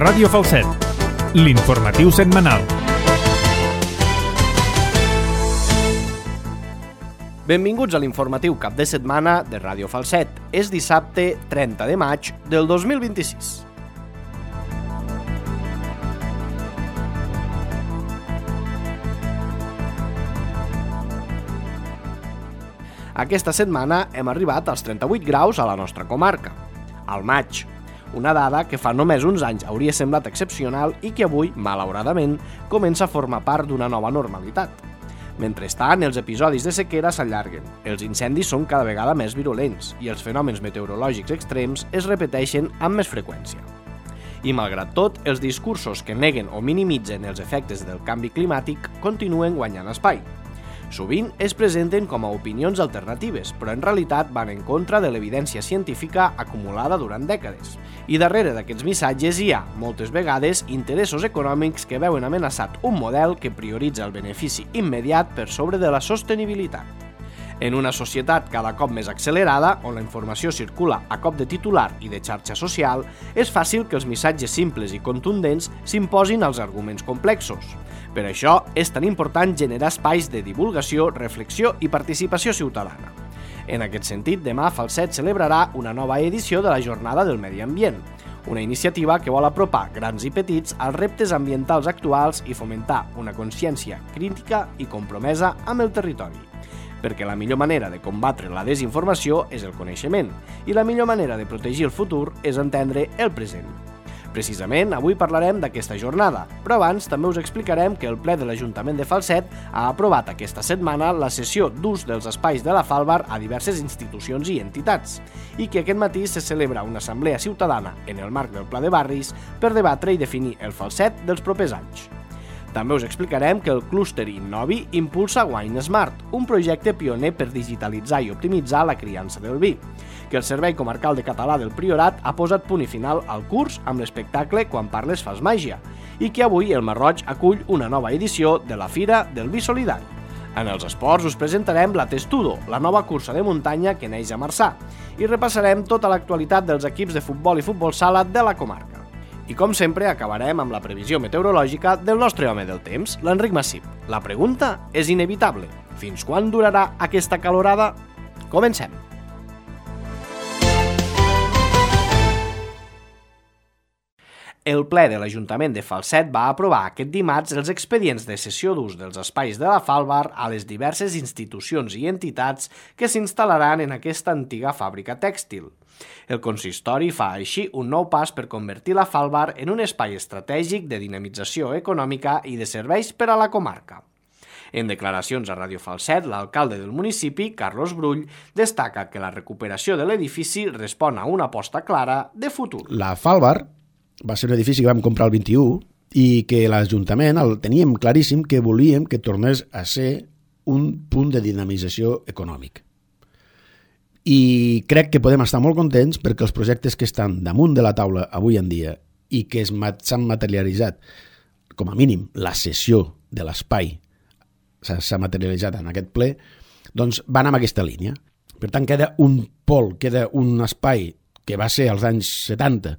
Ràdio Falset, l'informatiu setmanal. Benvinguts a l'informatiu cap de setmana de Ràdio Falset. És dissabte 30 de maig del 2026. Aquesta setmana hem arribat als 38 graus a la nostra comarca, al maig. Una dada que fa només uns anys hauria semblat excepcional i que avui, malauradament, comença a formar part d'una nova normalitat. Mentrestant, els episodis de sequera s'allarguen, els incendis són cada vegada més virulents i els fenòmens meteorològics extrems es repeteixen amb més freqüència. I malgrat tot, els discursos que neguen o minimitzen els efectes del canvi climàtic continuen guanyant espai. Sovint es presenten com a opinions alternatives, però en realitat van en contra de l'evidència científica acumulada durant dècades. I darrere d'aquests missatges hi ha, moltes vegades, interessos econòmics que veuen amenaçat un model que prioritza el benefici immediat per sobre de la sostenibilitat. En una societat cada cop més accelerada, on la informació circula a cop de titular i de xarxa social, és fàcil que els missatges simples i contundents s'imposin als arguments complexos. Per això, és tan important generar espais de divulgació, reflexió i participació ciutadana. En aquest sentit, demà Falset celebrarà una nova edició de la Jornada del Medi Ambient, una iniciativa que vol apropar grans i petits als reptes ambientals actuals i fomentar una consciència crítica i compromesa amb el territori. Perquè la millor manera de combatre la desinformació és el coneixement i la millor manera de protegir el futur és entendre el present. Precisament, avui parlarem d'aquesta jornada, però abans també us explicarem que el ple de l'Ajuntament de Falset ha aprovat aquesta setmana la cessió d'ús dels espais de la Falbar a diverses institucions i entitats i que aquest matí se celebra una assemblea ciutadana en el marc del Pla de Barris per debatre i definir el Falset dels propers anys. També us explicarem que el clúster Innovi impulsa Wine Smart, un projecte pioner per digitalitzar i optimitzar la criança del vi, que el Servei Comarcal de Català del Priorat ha posat punt i final al curs amb l'espectacle Quan parles fas màgia, i que avui el Marroig acull una nova edició de la Fira del Vi Solidari. En els esports us presentarem la Testudo, la nova cursa de muntanya que neix a Marçà, i repassarem tota l'actualitat dels equips de futbol i futbol sala de la comarca. I com sempre acabarem amb la previsió meteorològica del nostre home del temps, l'Enric Massip. La pregunta és inevitable. Fins quan durarà aquesta calorada? Comencem! El ple de l'Ajuntament de Falset va aprovar aquest dimarts els expedients de cessió d'ús dels espais de la Falbar a les diverses institucions i entitats que s'instal·laran en aquesta antiga fàbrica tèxtil. El consistori fa així un nou pas per convertir la Falbar en un espai estratègic de dinamització econòmica i de serveis per a la comarca. En declaracions a Ràdio Falset, l'alcalde del municipi, Carlos Brull, destaca que la recuperació de l'edifici respon a una aposta clara de futur. La Falbar va ser un edifici que vam comprar el 21 i que l'Ajuntament el teníem claríssim que volíem que tornés a ser un punt de dinamització econòmic. I crec que podem estar molt contents perquè els projectes que estan damunt de la taula avui en dia i que s'han materialitzat, com a mínim la cessió de l'espai s'ha materialitzat en aquest ple, doncs van en aquesta línia. Per tant, queda un pol, queda un espai que va ser als anys 70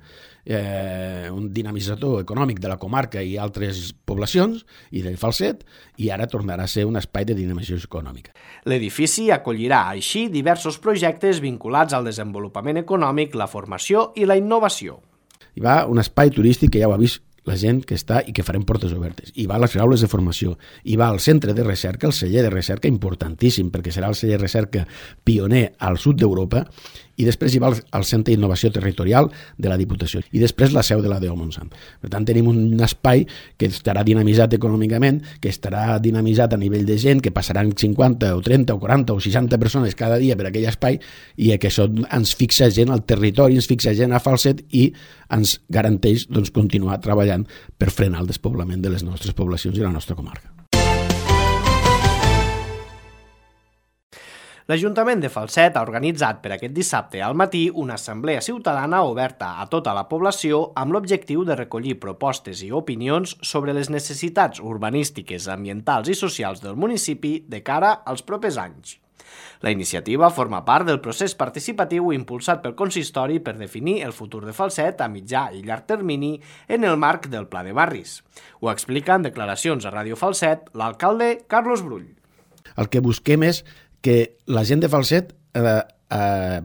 un dinamitzador econòmic de la comarca i altres poblacions i del Falset, i ara tornarà a ser un espai de dinamització econòmica. L'edifici acollirà així diversos projectes vinculats al desenvolupament econòmic, la formació i la innovació. Hi va un espai turístic que ja ho ha vist la gent que està i que farem portes obertes. Hi va les aules de formació, hi va el centre de recerca, el celler de recerca importantíssim, perquè serà el celler de recerca pioner al sud d'Europa, i després hi va el Centre d'Innovació Territorial de la Diputació, i després la seu de la DO Montsant. Per tant, tenim un espai que estarà dinamitzat econòmicament, que estarà dinamitzat a nivell de gent, que passaran 50 o 30 o 40 o 60 persones cada dia per aquell espai, i que això ens fixa gent al territori, ens fixa gent a Falset i ens garanteix continuar treballant per frenar el despoblament de les nostres poblacions i la nostra comarca. L'Ajuntament de Falset ha organitzat per aquest dissabte al matí una assemblea ciutadana oberta a tota la població amb l'objectiu de recollir propostes i opinions sobre les necessitats urbanístiques, ambientals i socials del municipi de cara als propers anys. La iniciativa forma part del procés participatiu impulsat pel consistori per definir el futur de Falset a mitjà i llarg termini en el marc del Pla de Barris. Ho explica en declaracions a Ràdio Falset l'alcalde Carlos Brull. El que busquem és que la gent de Falset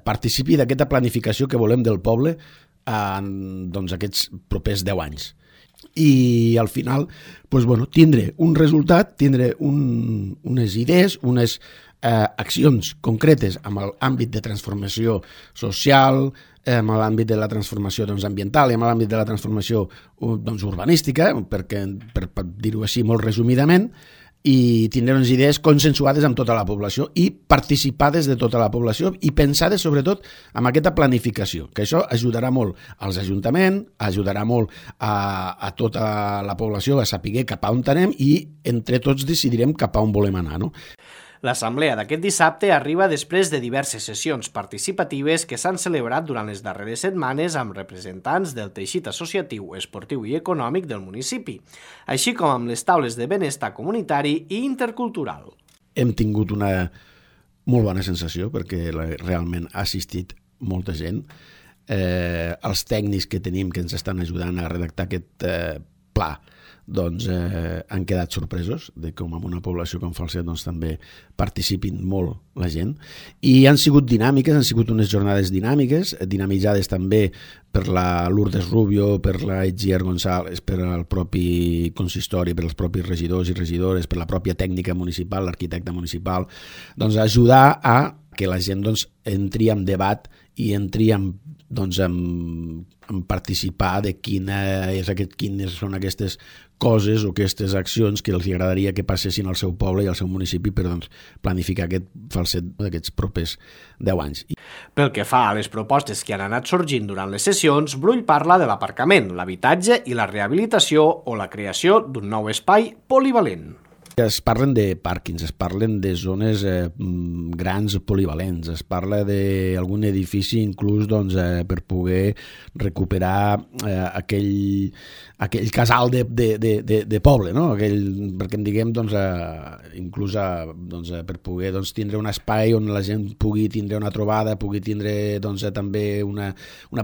participi d'aquesta planificació que volem del poble en aquests propers 10 anys. I al final tindre un resultat, tindre unes idees, unes accions concretes amb l'àmbit de transformació social, amb l'àmbit de la transformació ambiental i amb l'àmbit de la transformació urbanística, per dir-ho així molt resumidament, i tindre unes idees consensuades amb tota la població i participades de tota la població i pensades sobretot amb aquesta planificació, que això ajudarà molt als ajuntaments, ajudarà molt a tota la població a saber cap a on anem i entre tots decidirem cap a on volem anar, no? L'assemblea d'aquest dissabte arriba després de diverses sessions participatives que s'han celebrat durant les darreres setmanes amb representants del teixit associatiu, esportiu i econòmic del municipi, així com amb les taules de benestar comunitari i intercultural. Hem tingut una molt bona sensació perquè realment ha assistit molta gent. Els tècnics que tenim que ens estan ajudant a redactar aquest pla han quedat sorpresos de com en una població com Falset també participin molt la gent i han sigut dinàmiques, han sigut unes jornades dinàmiques, dinamitzades també per la Lourdes Rubio, per la Etzier González, per al propi consistori, per als propis regidors i regidores, per la pròpia tècnica municipal, l'arquitecte municipal, ajudar a que la gent entri en debat i entri en participar de quines són aquestes coses o aquestes accions que els agradaria que passessin al seu poble i al seu municipi per planificar aquest Falset d'aquests propers 10 anys. Pel que fa a les propostes que han anat sorgint durant les sessions, Brull parla de l'aparcament, l'habitatge i la rehabilitació o la creació d'un nou espai polivalent. Es parlen de pàrquings, es parlen de zones grans polivalents, es parla d'algun edifici inclús per poder recuperar aquell casal de poble, no? Perquè en diguem inclús per poder tindre un espai on la gent pugui tindre una trobada, pugui tindre també una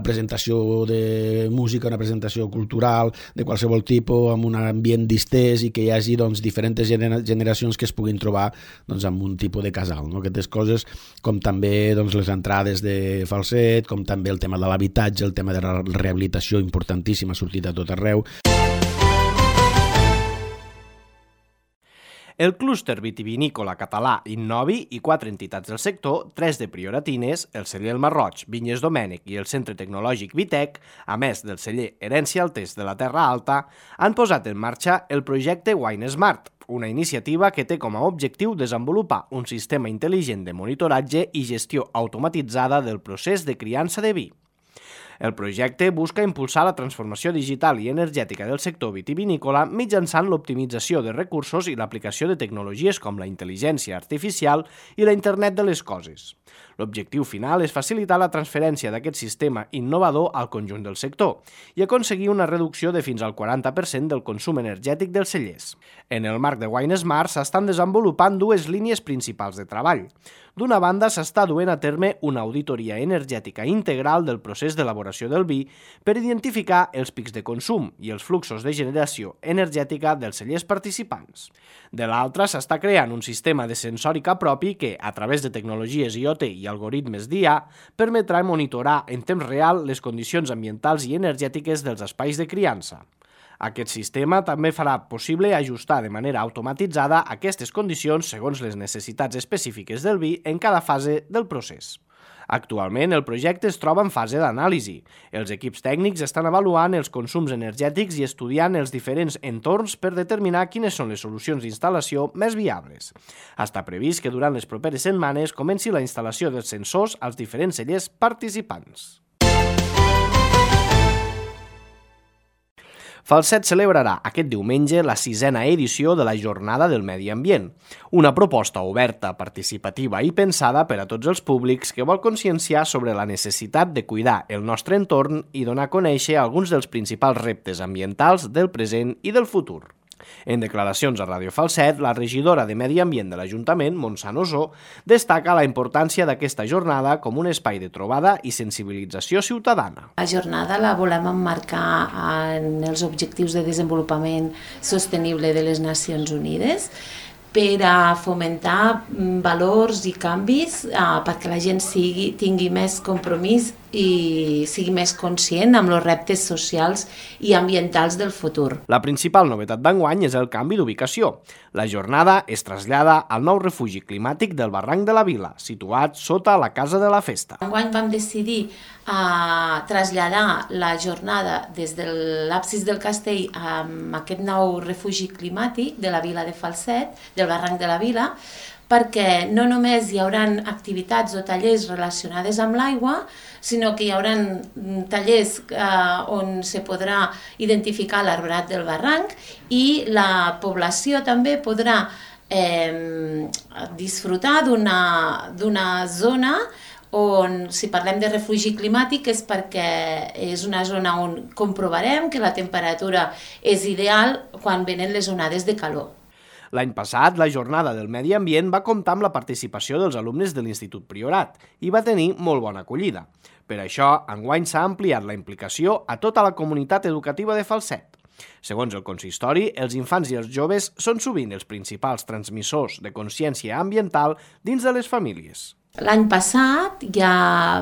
presentació de música, una presentació cultural de qualsevol tipus, amb un ambient distès i que hi hagi diferents generacions que es puguin trobar amb un tipus de casal, no? Aquestes coses com també les entrades de Falset, com també el tema de l'habitatge, el tema de la rehabilitació importantíssima, ha sortit a tot arreu. El clúster vitivinícola català Innovi i 4 entitats del sector, 3 de Prioratines, el celler El Marroig, Vinyes Domènec i el Centre Tecnològic Vitec, a més del celler Herència Altés de la Terra Alta, han posat en marxa el projecte Wine Smart, una iniciativa que té com a objectiu desenvolupar un sistema intel·ligent de monitoratge i gestió automatitzada del procés de criança de vi. El projecte busca impulsar la transformació digital i energètica del sector vitivinícola mitjançant l'optimització de recursos i l'aplicació de tecnologies com la intel·ligència artificial i la Internet de les coses. L'objectiu final és facilitar la transferència d'aquest sistema innovador al conjunt del sector i aconseguir una reducció de fins al 40% del consum energètic dels cellers. En el marc de Wine Smart s'estan desenvolupant 2 línies principals de treball. D'una banda, s'està duent a terme una auditoria energètica integral del procés d'elaboració del vi per identificar els pics de consum i els fluxos de generació energètica dels cellers participants. De l'altra, s'està creant un sistema de sensòrica propi que, a través de tecnologies IoT i algoritmes d'IA, permetrà monitorar en temps real les condicions ambientals i energètiques dels espais de criança. Aquest sistema també farà possible ajustar de manera automatitzada aquestes condicions segons les necessitats específiques del vi en cada fase del procés. Actualment, el projecte es troba en fase d'anàlisi. Els equips tècnics estan avaluant els consums energètics i estudiant els diferents entorns per determinar quines són les solucions d'instal·lació més viables. Està previst que durant les properes setmanes comenci la instal·lació dels sensors als diferents cellers participants. Falset celebrarà aquest diumenge la 6a edició de la Jornada del Medi Ambient, una proposta oberta, participativa i pensada per a tots els públics que vol conscienciar sobre la necessitat de cuidar el nostre entorn i donar a conèixer alguns dels principals reptes ambientals del present i del futur. En declaracions a Ràdio Falset, la regidora de Medi Ambient de l'Ajuntament, Montse Nosó, destaca la importància d'aquesta jornada com un espai de trobada i sensibilització ciutadana. La jornada la volem emmarcar en els Objectius de Desenvolupament Sostenible de les Nacions Unides per a fomentar valors i canvis perquè la gent tingui més compromís i sigui més conscient amb els reptes socials i ambientals del futur. La principal novetat d'enguany és el canvi d'ubicació. La jornada es trasllada al nou refugi climàtic del Barranc de la Vila, situat sota la Casa de la Festa. Enguany vam decidir traslladar la jornada des de l'absis del castell a aquest nou refugi climàtic de la Vila de Falset, del Barranc de la Vila, perquè no només hi haurà activitats o tallers relacionades amb l'aigua, sinó que hi haurà tallers on se podrà identificar l'arbrat del barranc i la població també podrà disfrutar d'una zona on, si parlem de refugi climàtic, és perquè és una zona on comprovarem que la temperatura és ideal quan venen les onades de calor. L'any passat, la Jornada del Medi Ambient va comptar amb la participació dels alumnes de l'Institut Priorat i va tenir molt bona acollida. Per això, enguany s'ha ampliat la implicació a tota la comunitat educativa de Falset. Segons el consistori, els infants i els joves són sovint els principals transmissors de consciència ambiental dins de les famílies. L'any passat ja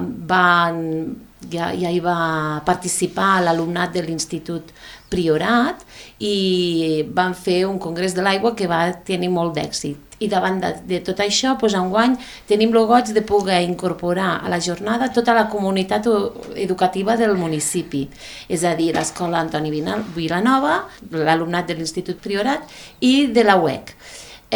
hi va participar l'alumnat de l'Institut Priorat i van fer un congrés de l'aigua que va tenir molt d'èxit. I davant de tot això, enguany tenim el goig de poder incorporar a la jornada tota la comunitat educativa del municipi, és a dir, l'Escola Antoni Vilanova, l'alumnat de l'Institut Priorat i de la UEC.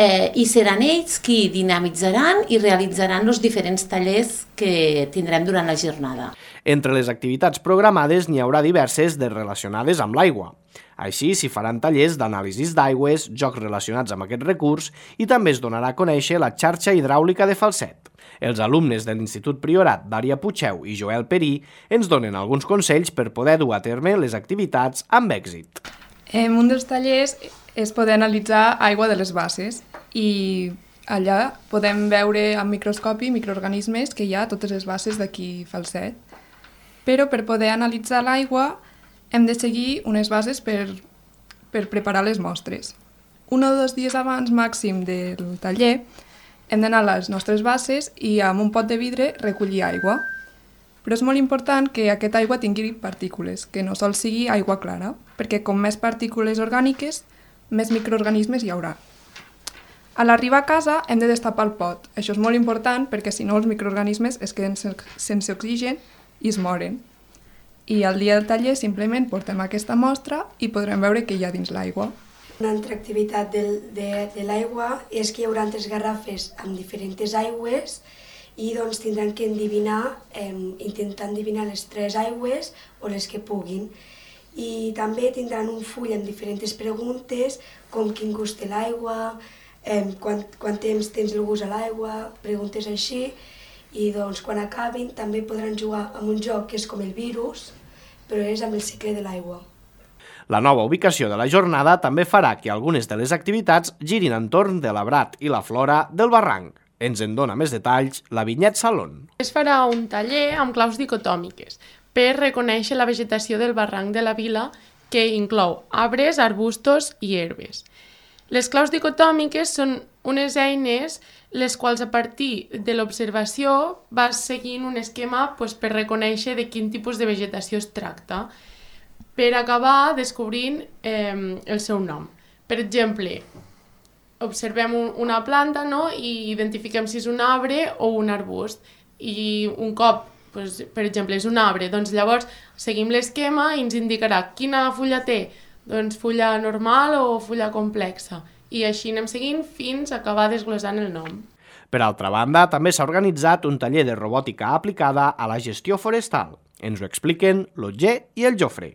I seran ells qui dinamitzaran i realitzaran els diferents tallers que tindrem durant la jornada. Entre les activitats programades n'hi haurà diverses relacionades amb l'aigua. Així s'hi faran tallers d'anàlisis d'aigües, jocs relacionats amb aquest recurs i també es donarà a conèixer la xarxa hidràulica de Falset. Els alumnes de l'Institut Priorat, Dària Puigeu i Joel Perí, ens donen alguns consells per poder dur a terme les activitats amb èxit. Un dels tallers és poder analitzar aigua de les basses i allà podem veure amb microscopi microorganismes que hi ha a totes les basses d'aquí Falset. Però per poder analitzar l'aigua hem de seguir unes bases per preparar les mostres. 1 o 2 dies abans màxim del taller hem d'anar a les nostres basses i amb un pot de vidre recollir aigua. Però és molt important que aquesta aigua tingui partícules, que no sol sigui aigua clara, perquè com més partícules orgàniques, més microorganismes hi haurà. A l'arribar a casa hem de destapar el pot. Això és molt important perquè si no els microorganismes es queden sense oxigen i es moren. I al dia del taller simplement portem aquesta mostra i podrem veure què hi ha dins l'aigua. Una altra activitat de l'aigua és que hi haurà 3 garrafes amb diferents aigües i doncs tindran que intentar endevinar les 3 aigües o les que puguin. I també tindran un full amb diferents preguntes, com quin gust té l'aigua, quant temps tens el gust a l'aigua, preguntes així, i doncs quan acabin també podran jugar amb un joc que és com el virus, però és amb el cicle de l'aigua. La nova ubicació de la jornada també farà que algunes de les activitats girin entorn de l'arbrat i la flora del barranc. Ens en dona més detalls la Vinyet Salón. Es farà un taller amb claus dicotòmiques per reconèixer la vegetació del barranc de la Vila, que inclou arbres, arbustos i herbes. Les claus dicotòmiques són unes eines les quals a partir de l'observació vas seguint un esquema per reconèixer de quin tipus de vegetació es tracta, per acabar descobrint el seu nom. Per exemple, observem una planta i identifiquem si és un arbre o un arbust. I un cop, per exemple, és un arbre, doncs llavors seguim l'esquema i ens indicarà quina fulla té, doncs fulla normal o fulla complexa. I així anem seguint fins a acabar desglossant el nom. Per altra banda, també s'ha organitzat un taller de robòtica aplicada a la gestió forestal. Ens ho expliquen l'Otger i el Jofre.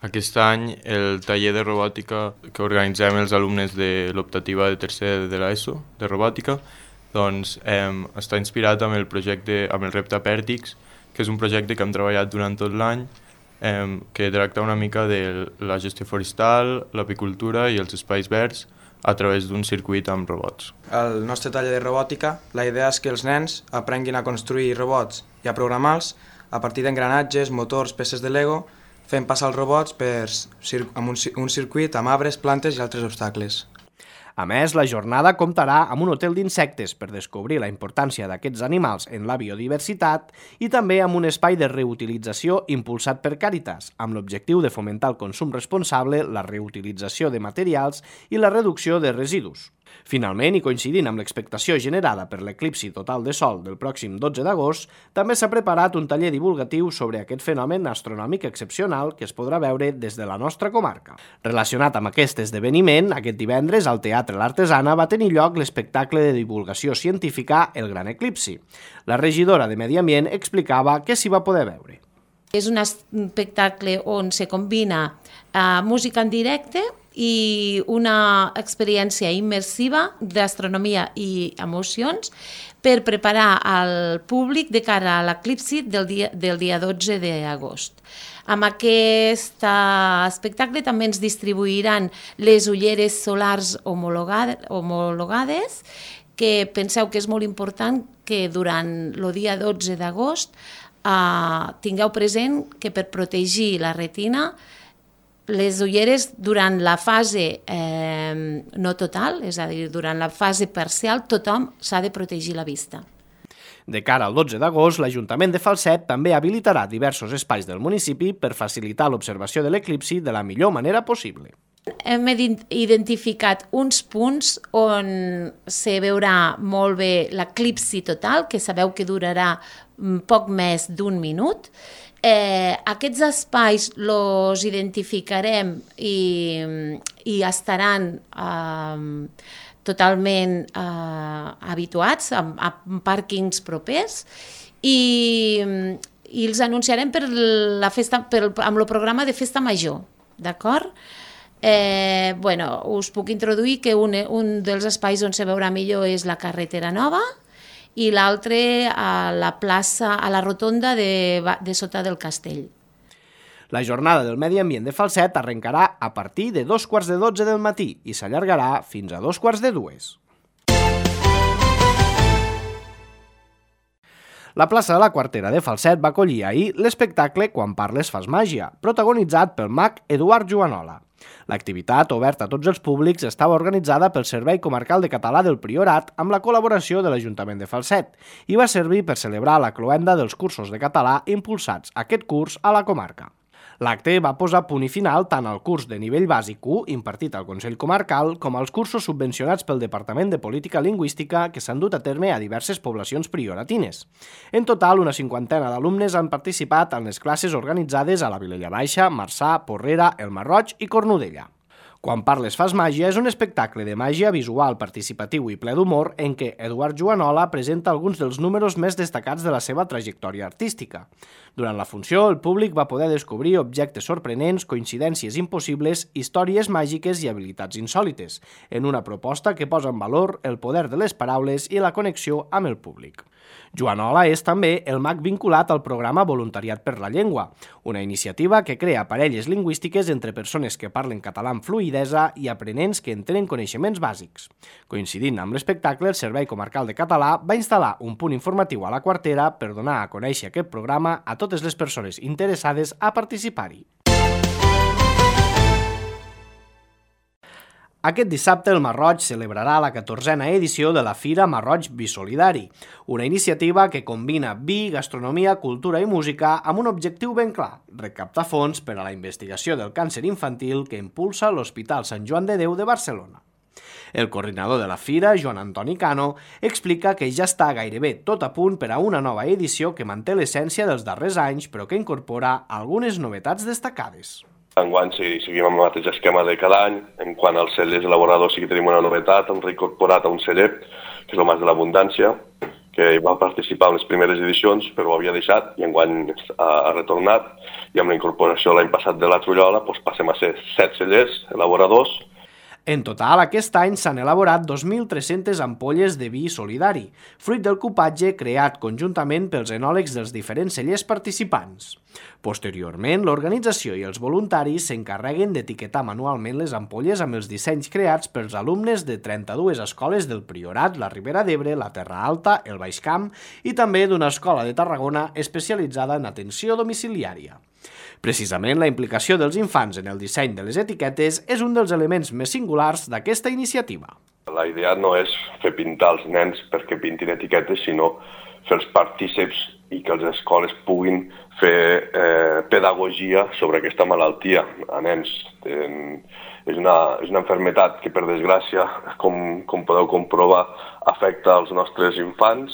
Aquest any el taller de robòtica que organitzem els alumnes de l'optativa de tercer de l'ESO, de robòtica, doncs està inspirat amb el repte Pèrtix, que és un projecte que hem treballat durant tot l'any que tracta una mica de la gestió forestal, l'apicultura i els espais verds a través d'un circuit amb robots. Al nostre taller de robòtica, la idea és que els nens aprenguin a construir robots i a programar-los a partir d'engranatges, motors, peces de Lego, fent passar els robots amb un circuit amb arbres, plantes i altres obstacles. A més, la jornada comptarà amb un hotel d'insectes per descobrir la importància d'aquests animals en la biodiversitat i també amb un espai de reutilització impulsat per Càritas, amb l'objectiu de fomentar el consum responsable, la reutilització de materials i la reducció de residus. Finalment, i coincidint amb l'expectació generada per l'eclipsi total de Sol del pròxim 12 d'agost, també s'ha preparat un taller divulgatiu sobre aquest fenomen astronòmic excepcional que es podrà veure des de la nostra comarca. Relacionat amb aquest esdeveniment, aquest divendres al Teatre L'Artesana va tenir lloc l'espectacle de divulgació científica El Gran Eclipsi. La regidora de Medi Ambient explicava què s'hi va poder veure. És un espectacle on se combina música en directe i una experiència immersiva d'astronomia i emocions per preparar el públic de cara a l'eclipsi del dia 12 d'agost. Amb aquest espectacle també ens distribuiran les ulleres solars homologades, que penseu que és molt important que durant el dia 12 d'agost tingueu present que per protegir la retina les ulleres durant la fase no total, és a dir, durant la fase parcial, tothom s'ha de protegir la vista. De cara al 12 d'agost, l'Ajuntament de Falset també habilitarà diversos espais del municipi per facilitar l'observació de l'eclipsi de la millor manera possible. Hem identificat uns punts on se veurà molt bé l'eclipsi total, que sabeu que durarà poc més d'un minut. Aquests espais els identificarem i estaran totalment habituats a pàrquings propers i els anunciarem amb el programa de Festa Major, d'acord? Us puc introduir que un dels espais on se veurà millor és la carretera nova i l'altre a la plaça, a la rotonda de sota del castell. La jornada del Medi Ambient de Falset arrencarà a partir de 2:45 del matí i s'allargarà fins a 2:45. La plaça de la Quartera de Falset va acollir ahir l'espectacle Quan parles fas màgia, protagonitzat pel mag Eduard Juanola. L'activitat, oberta a tots els públics, estava organitzada pel Servei Comarcal de Català del Priorat amb la col·laboració de l'Ajuntament de Falset i va servir per celebrar la cloenda dels cursos de català impulsats aquest curs a la comarca. L'acte va posar punt i final tant al curs de nivell bàsic 1 impartit al Consell Comarcal com als cursos subvencionats pel Departament de Política Lingüística que s'han dut a terme a diverses poblacions prioratines. En total, una 50ena d'alumnes han participat en les classes organitzades a la Vilella Baixa, Marçà, Porrera, El Masroig i Cornudella. Quan parles fas màgia és un espectacle de màgia visual, participatiu i ple d'humor en què Eduard Juanola presenta alguns dels números més destacats de la seva trajectòria artística. Durant la funció, el públic va poder descobrir objectes sorprenents, coincidències impossibles, històries màgiques i habilitats insòlites, en una proposta que posa en valor el poder de les paraules i la connexió amb el públic. Juanola és també el mag vinculat al programa Voluntariat per la Llengua, una iniciativa que crea parelles lingüístiques entre persones que parlen català amb fluïdesa i aprenents que en tenen coneixements bàsics. Coincidint amb l'espectacle, el Servei Comarcal de Català va instal·lar un punt informatiu a la Quartera per donar a conèixer aquest programa a totes les persones interessades a participar-hi. Aquest dissabte el Masroig celebrarà la 14a edició de la Fira Masroig Bisolidari, una iniciativa que combina vi, gastronomia, cultura i música amb un objectiu ben clar, recaptar fons per a la investigació del càncer infantil que impulsa l'Hospital Sant Joan de Déu de Barcelona. El coordinador de la fira, Joan Antoni Cano, explica que ja està gairebé tot a punt per a una nova edició que manté l'essència dels darrers anys però que incorpora algunes novetats destacades. Enguany seguim amb el mateix esquema de cada any. En quant als cellers elaboradors sí que tenim una novetat, hem reincorporat a un celler, que és el Mas de l'Abundància, que va participar en les primeres edicions, però ho havia deixat i enguany ha retornat. I amb la incorporació l'any passat de la Trullola passem a ser 7 cellers elaboradors. En total, aquest any s'han elaborat 2.300 ampolles de vi solidari, fruit del cupatge creat conjuntament pels enòlegs dels diferents cellers participants. Posteriorment, l'organització i els voluntaris s'encarreguen d'etiquetar manualment les ampolles amb els dissenys creats pels alumnes de 32 escoles del Priorat, la Ribera d'Ebre, la Terra Alta, el Baix Camp i també d'una escola de Tarragona especialitzada en atenció domiciliària. Precisament, la implicació dels infants en el disseny de les etiquetes és un dels elements més singulars d'aquesta iniciativa. La idea no és fer pintar els nens perquè pintin etiquetes, sinó fer-los partíceps i que les escoles puguin fer pedagogia sobre aquesta malaltia a nens. És una malaltia que, per desgràcia, com podeu comprovar, afecta els nostres infants,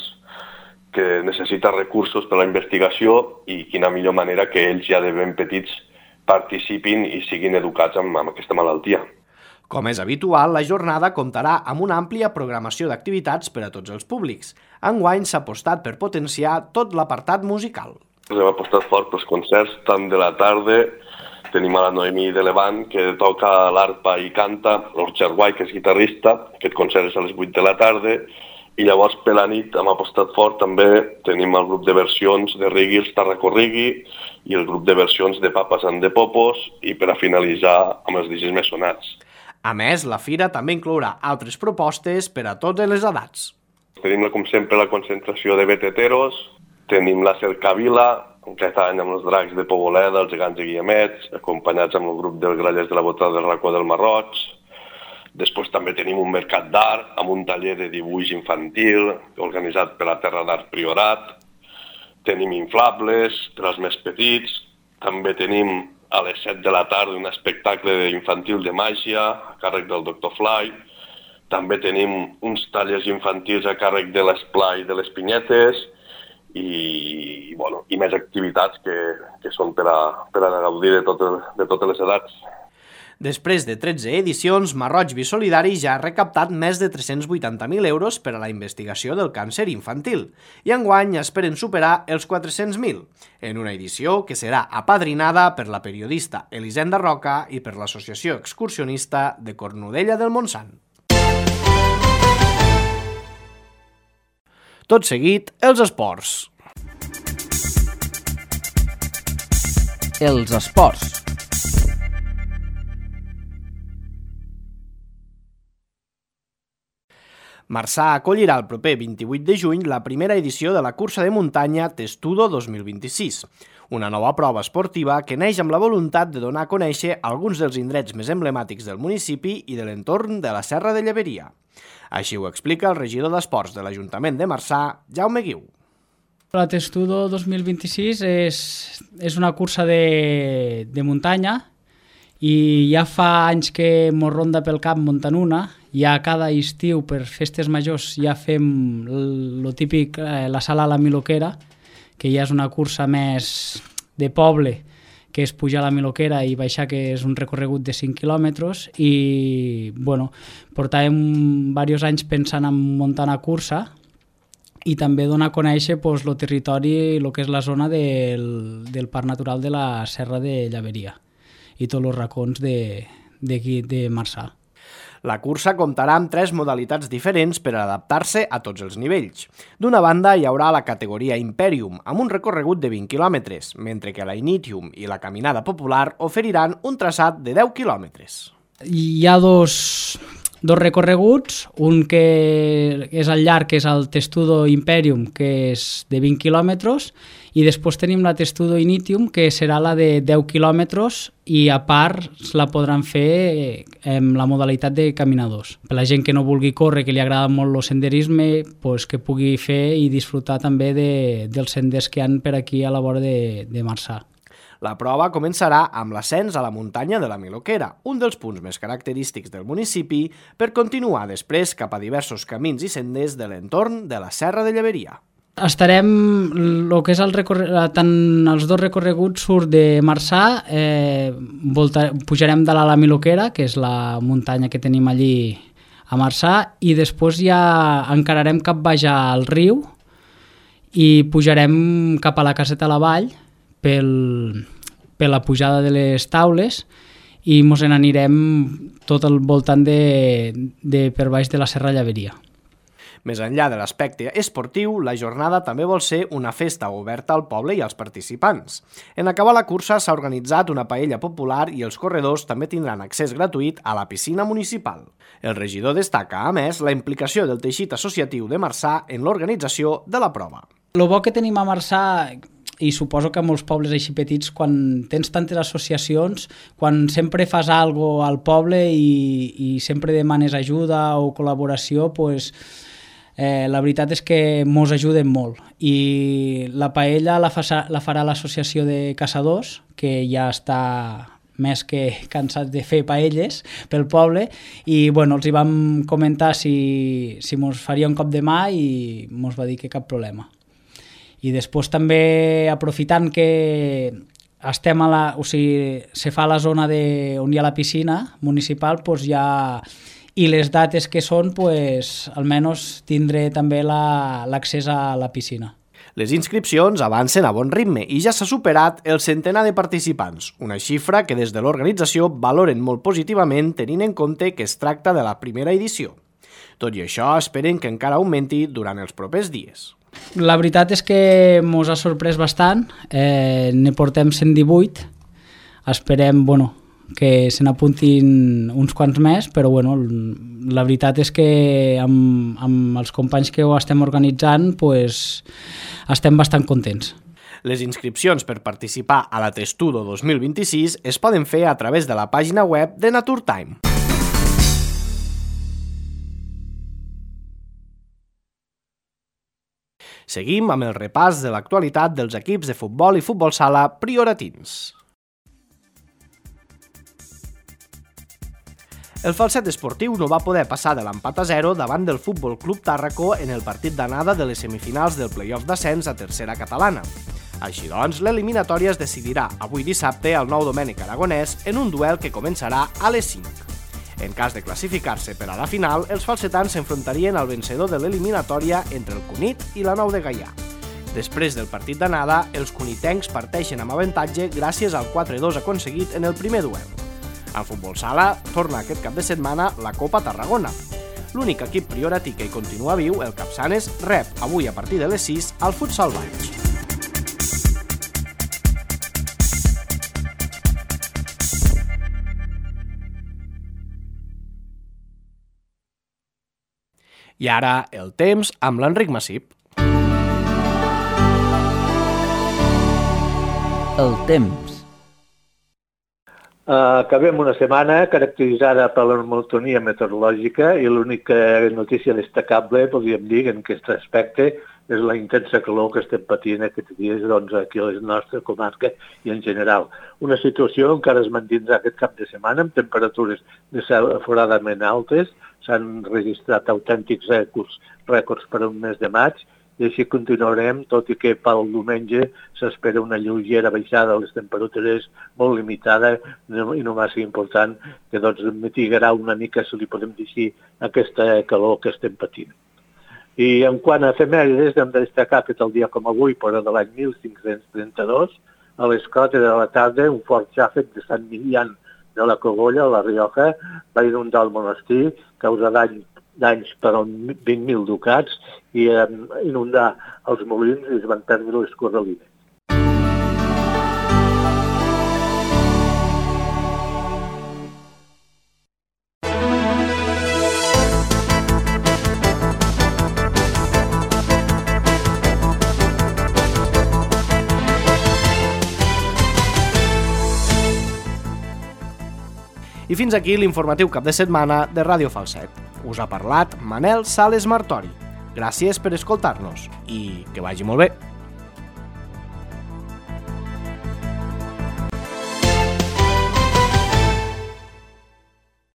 que necessita recursos per a la investigació i quina millor manera que ells ja de ben petits participin i siguin educats amb aquesta malaltia. Com és habitual, la jornada comptarà amb una àmplia programació d'activitats per a tots els públics. Enguany s'ha apostat per potenciar tot l'apartat musical. Hem apostat fort pels concerts, tant de la tarda, tenim a la Noemí de Levant, que toca l'arpa i canta, l'Orxar Guai, que és guitarrista, aquest concert és a les 8 de la tarda, i llavors per la nit hem apostat fort, també tenim el grup de versions de Rigui, els Tarraco Rigui, i el grup de versions de Papas and the Popos, i per a finalitzar amb els DJs més sonats. A més, la fira també inclourà altres propostes per a totes les edats. Tenim, com sempre, la concentració de beteteros, tenim la cercavila, aquest any amb els dracs de Poboleda, els gegants de Guillemets, acompanyats amb el grup dels grallers de la Botada del Racó del Marroig. Després també tenim un mercat d'art amb un taller de dibuix infantil organitzat per la Terra d'Art Priorat. Tenim inflables per als més petits. També tenim a les 7 de la tarda un espectacle infantil de màgia a càrrec del Dr. Fly. També tenim uns tallers infantils a càrrec de l'esplai de les pinyetes i més activitats que són per a gaudir de totes les edats. Després de 13 edicions, Marroig Vi Solidari ja ha recaptat més de 380.000 euros per a la investigació del càncer infantil i enguany esperen superar els 400.000, en una edició que serà apadrinada per la periodista Elisenda Roca i per l'Associació Excursionista de Cornudella del Montsant. Tot seguit, els esports. Els esports. Marçà acollirà el proper 28 de juny la primera edició de la cursa de muntanya Testudo 2026, una nova prova esportiva que neix amb la voluntat de donar a conèixer alguns dels indrets més emblemàtics del municipi i de l'entorn de la Serra de Lleberia. Així ho explica el regidor d'Esports de l'Ajuntament de Marçà, Jaume Guiu. La Testudo 2026 és una cursa de muntanya i ja fa anys que mos ronda pel cap muntant una. Ja cada estiu per festes majors ja fem lo típic, la sala a la Miloquera, que ja és una cursa més de poble, que és pujar a la Miloquera i baixar, que és un recorregut de 5 quilòmetres, i portàvem diversos anys pensant en muntar una cursa i també donar a conèixer el territori, el que és la zona del Parc Natural de la Serra de Lleberia i tots els racons d'aquí de Marçà. La cursa comptarà amb 3 modalitats diferents per adaptar-se a tots els nivells. D'una banda, hi haurà la categoria Imperium, amb un recorregut de 20 quilòmetres, mentre que la Initium i la Caminada Popular oferiran un traçat de 10 quilòmetres. Hi ha dos recorreguts, un que és al llarg, que és el Testudo Imperium, que és de 20 quilòmetres, i després tenim la Testudo Initium, que serà la de 10 quilòmetres, i a part la podran fer amb la modalitat de caminadors. Per la gent que no vulgui córrer, que li agrada molt el senderisme, que pugui fer i disfrutar també dels senders que hi ha per aquí a la vora de Marçà. La prova començarà amb l'ascens a la muntanya de la Miloquera, un dels punts més característics del municipi, per continuar després cap a diversos camins i senders de l'entorn de la Serra de Lleberia. Estarem, el que és tant els dos recorreguts surt de Marçà, pujarem de la Miloquera, que és la muntanya que tenim allí a Marçà, i després ja encararem cap baix al riu i pujarem cap a la Caseta a la Vall per la pujada de les Taules, i mos n'anirem tot al voltant de per baix de la Serra Llaveria. Més enllà de l'aspecte esportiu, la jornada també vol ser una festa oberta al poble i als participants. En acabar la cursa s'ha organitzat una paella popular i els corredors també tindran accés gratuït a la piscina municipal. El regidor destaca, a més, la implicació del teixit associatiu de Marçà en l'organització de la prova. El bo que tenim a Marçà, i suposo que a molts pobles així petits, quan tens tantes associacions, quan sempre fas alguna cosa al poble i sempre demanes ajuda o col·laboració, doncs la veritat és que mos ajuden molt. I la paella la farà l'associació de caçadors, que ja està més que cansats de fer paelles pel poble, i bueno, els hi vam comentar si mos faria un cop de mà i mos va dir que cap problema. I després també, aprofitant que estem se fa a la zona on hi ha la piscina municipal, doncs ja, i les dates que són, doncs, almenys tindré també l'accés a la piscina. Les inscripcions avancen a bon ritme i ja s'ha superat el centenar de participants, una xifra que des de l'organització valoren molt positivament tenint en compte que es tracta de la primera edició. Tot i això, esperen que encara augmenti durant els propers dies. La veritat és que mos ha sorprès bastant, ne portem 118, esperem que se n'apuntin uns quants més, però la veritat és que amb els companys que ho estem organitzant estem bastant contents. Les inscripcions per participar a la Testudo 2026 es poden fer a través de la pàgina web de Naturtime. Seguim amb el repàs de l'actualitat dels equips de futbol i futbol sala prioratins. El Falset esportiu no va poder passar de l'empat a 0 davant del Futbol Club Tàrraco en el partit d'anada de les semifinals del play-off d'ascens a tercera catalana. Així doncs, l'eliminatòria es decidirà avui dissabte al Nou Domènec Aragonès en un duel que començarà a les 5. En cas de classificar-se per a la final, els falsetans s'enfrontarien al vencedor de l'eliminatòria entre el Cunit i la Nou de Gaià. Després del partit d'anada, els cunitencs parteixen amb avantatge gràcies al 4-2 aconseguit en el primer duel. En futbol sala, torna aquest cap de setmana la Copa Tarragona. L'únic equip prioratí que hi continua viu, el Capçanes, rep avui a partir de les 6 al Futsal Valls. I ara, el temps amb l'Enric Massip. El temps. Acabem una setmana caracteritzada per la monotonia meteorològica i l'única notícia destacable, podríem dir, en aquest aspecte és la intensa calor que estem patint aquests dies aquí a la nostra comarca i en general. Una situació encara es mantindrà aquest cap de setmana amb temperatures desaforadament altes, s'han registrat autèntics rècords per un mes de maig, i així continuarem, tot i que pel diumenge s'espera una lleugera baixada de les temperatures molt limitada i no massa important, que mitigarà una mica, si li podem dir així, aquesta calor que estem patint. I en quant a efemèrides, hem de destacar que el dia com avui, però de l'any 1532, a les 4 de la tarda, un fort xàfec de Sant Milian de la Cogolla, a la Rioja, va inundar el monestir, causar danys per 20.000 ducats i inundar els molins i es van perdre les corralines. I fins aquí l'informatiu cap de setmana de Ràdio Falset. Us ha parlat Manel Sales Martori. Gràcies per escoltar-nos i que vagi molt bé.